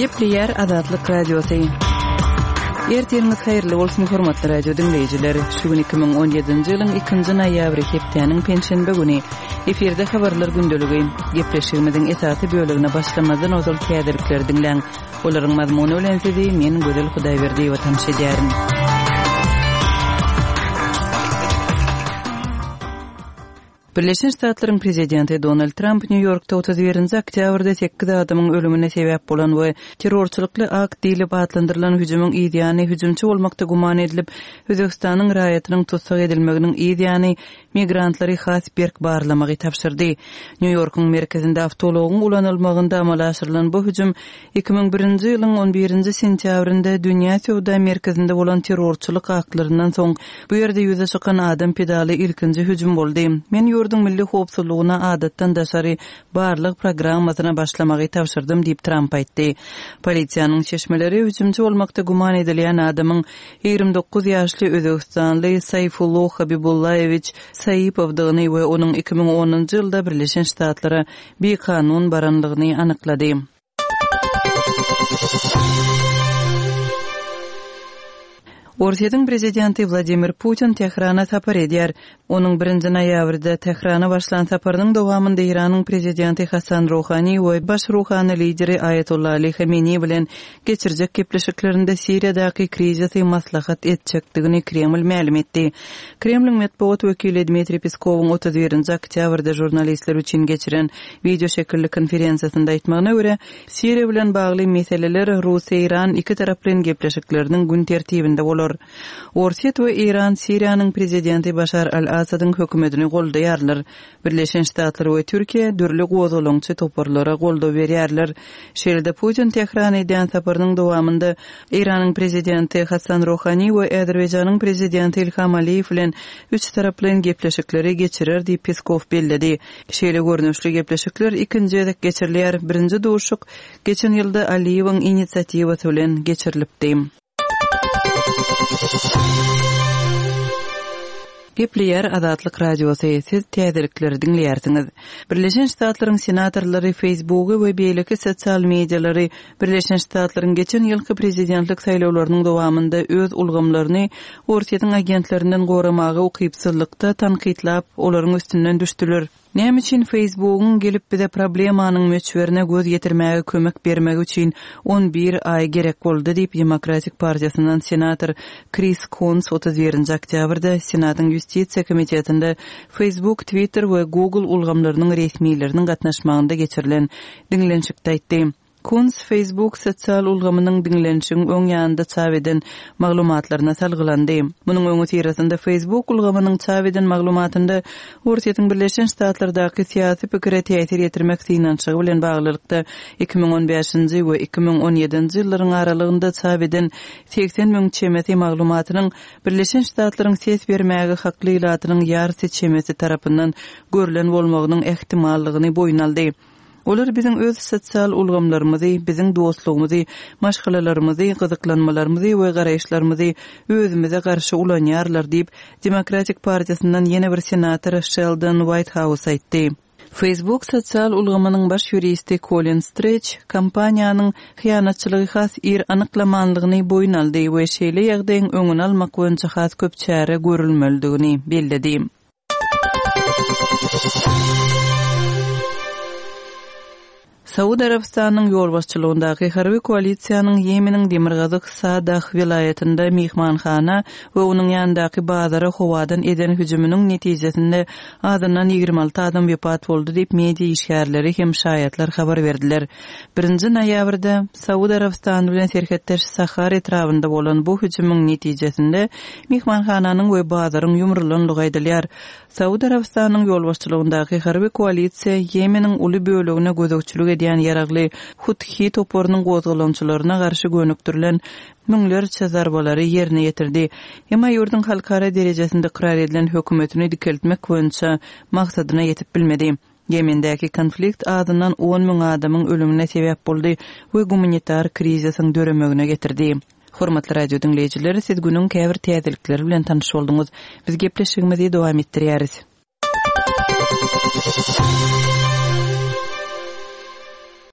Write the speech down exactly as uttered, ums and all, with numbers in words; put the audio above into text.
Gepleýär Azatlyk Radiosy. Ertiriňiz haýyrly bolsun, hormatly radio diňleýjiler. Şu gün iki müň on ýedinji ýylyň ikinji noýabry, hepdäniň penşenbe güni. Efirde habarlar gündeligi. Gepleşigimiziň esasy bölegine başlamazdan ozal täzelikleri diňläň. Olaryň mazmuny bilen sizi men Gözel Hudaýberdiýewa tanyş edýärin. Birleşen Ştatlaryň prezidenti Donald Tramp Nýu-Ýorkda otuz birinji oktýabrda sekiz adamyň ölümine sebäp bolan we terrorçylykly akt diýlip atlandyrylan hüjümiň yz ýany hüjümçi bolmakda güman edilip, Özbegistanyň raýatynyň tussag edilmeginiň yz ýany migrantlary has berk barlamagy tabşyrdy. Nýu-Ýorkuň merkezinde awtoulagyň ulanylmagynda amala aşyrylan bu hüjüm iki müň birinji ýylyň on birinji sentýabrynda Dünýä söwda merkezinde bolan terrorçylyk aktlaryndan soň bu ýerde ýüze çykan adam pedaly ilkinji hüjüm boldy. Men ýurduň milli howpsuzlygyna adatdan daşary barlag programmasyna başlamagy tabşyrdym diýip Tramp aýtdy. Polisiýanyň çeşmeleri hüjümçi bolmakda güman edilýän adamyň ýigrimi dokuz ýaşly özbegistanly Saýfullo Habibullaýewiç Saipowdygyny we onuň iki müň onunjy ýylda Birleşen Ştatlara bikanun baranlygyny anyklady. Orsýetiň prezidenti Wladimir Putin Tährana sapar edýär. Onuň birinji noýabrda Tährana başlan saparynyň dowamynda Eýranyň prezidenti Hasan Ruhani we baş ruhany lideri Aýatollah Ali Hameni bilen geçirjek gepleşiklerinde Siriýadaky krizisi maslahat etjekdigini Kreml mälim etdi. Kremliň metbugat wekili Dmitriý Peskowyň otuz birinji oktýabrda žurnalistler üçin geçiren video şekilli konferensiýasynda aýtmagyna görä, Siriýa bilen bagly meseleler Rus-Eýran iki taraplaýyn gepleşikleriniň gün tertibinde bolar. Orsýet we Eýran Siriýanyň prezidenti Başar al-Asadyň hökümetini goldaýarlar. Birleşen Ştatlar we Türkiýe dürli gozgalaňçy toparlara goldaw berýärler. Şeýle-de Putin Tährana edýän saparynyň dowamynda Eýranyň prezidenti Hasan Ruhani we Azerbaýjanyň prezidenti Ilham Aliýew bilen üç taraplaýyn gepleşikleri geçirer diýip Peskow belledi. Şeýle görnüşli gepleşikler ikinji gezek geçirilýär. Birinji duşuk geçen ýylda Aliýewiň inisiatiwasy bilen geçirilipdi. Gepleýär Azatlyk Radiosy, siz täzelikleri diňleýärsiňiz. Birleşen Ştatlaryň senatorlary Facebooky we beýleki sosial medialary Birleşen Ştatlaryň geçen ýylky prezidentlik saýlawlarynyň dowamynda öz ulgamlaryny Orsýetiň agentlerinden goramaga ukypsyzlykda tankytlap, olaryň üstünden düşdüler. Näme üçin Facebookyň gelip bize problemanyň möçberine göz ýetirmäge kömek bermegi üçin on bir aý gerek boldy diýip Demokratik partiýasyndan senator Kris Kuns otuz birinji oktýabrda Senatyň Ýustisiýa komitetinde Facebook, Twitter we Google ulgamlarynyň resmileriniň gatnaşmagynda geçirilen diňlenişikde aýtdy. Kuns Facebook sosial ulgamynyň diňlenişigiň öň ýanynda çap eden maglumatlaryna salgylandy. Munuň öňüsyrasynda Facebook ulgamynyň çap eden maglumatynda Orsýetiň Birleşen Ştatlardaky syýasy pikire täsir ýetirmek synanyşygy bilen baglylykda iki müň on bäşinji we iki müň on ýedinji ýyllaryň aralygynda çap eden segsen müň çemesi maglumatynyň Birleşen Ştatlaryň ses bermäge hakly ilatynyň ýarysy çemesi tarapyndan görlen bolmagynyň ähtimallygyny boýun aldy. Olar biziň öz sosial ulgamlarymyzy, biziň dostlugymyzy, maşgalalarymyzy, gyzyklanmalarymyzy we garaýyşlarymyzy özümize garşy ulanýarlar diýip, Demokratik partiýasyndan ýene bir senator Sheldon Whitehouse aýtdy. Facebook sosial ulgamynyň baş ýuristi Colin Stretch kompaniýanyň hyýanatçylygy has ir anyklamanlygyny boýun aldy we şeýle ýagdaýyň öňüni almak boýunça has köp çäre görülmelidigini belledi. Saud Arabystanyň ýolbaşçylygyndaky harby koalisiýanyň Ýemeniň Demirgazyk Sadah welaýatynda mehmanhana we onuň ýanyndaky bazara howadan eden hüjüminiň netijesinde azyndan ýigrimi alty adam wepat boldy diýip media işgärleri hem şaýatlar habar berdiler. Birinji noýabrda Saud Arabystany bilen serhetdeş Sahar etrabynda bolan bu hüjümiň netijesinde mehmanhananyň we bazaryň ýumrulanlygy aýdylýar. Saud Arabystanyň ýolbaşçylygyndaky harby koalisiýa Ýemeniň uly bölegine gözegçilik edýän ýaragly Huthi toparynyň gozgalaňçylaryna garşy gönükdirilen müňlerçe zarbalary ýerine ýetirdi. Emma ýurduň halkara derejesinde ykrar edilen hökümetini dikeltmek boýunça maksadyna ýetip bilmedi. Ýemendäki konflikt azyndan on müň adamyň ölümine sebäp boldy we gumanitar krizisiň döremegine getirdi. Hormatly radio diňleýjiler, siz günüň käbir täzelikleri bilen tanyş bolduňyz. Biz gepleşigimizi dowam etdirýäris.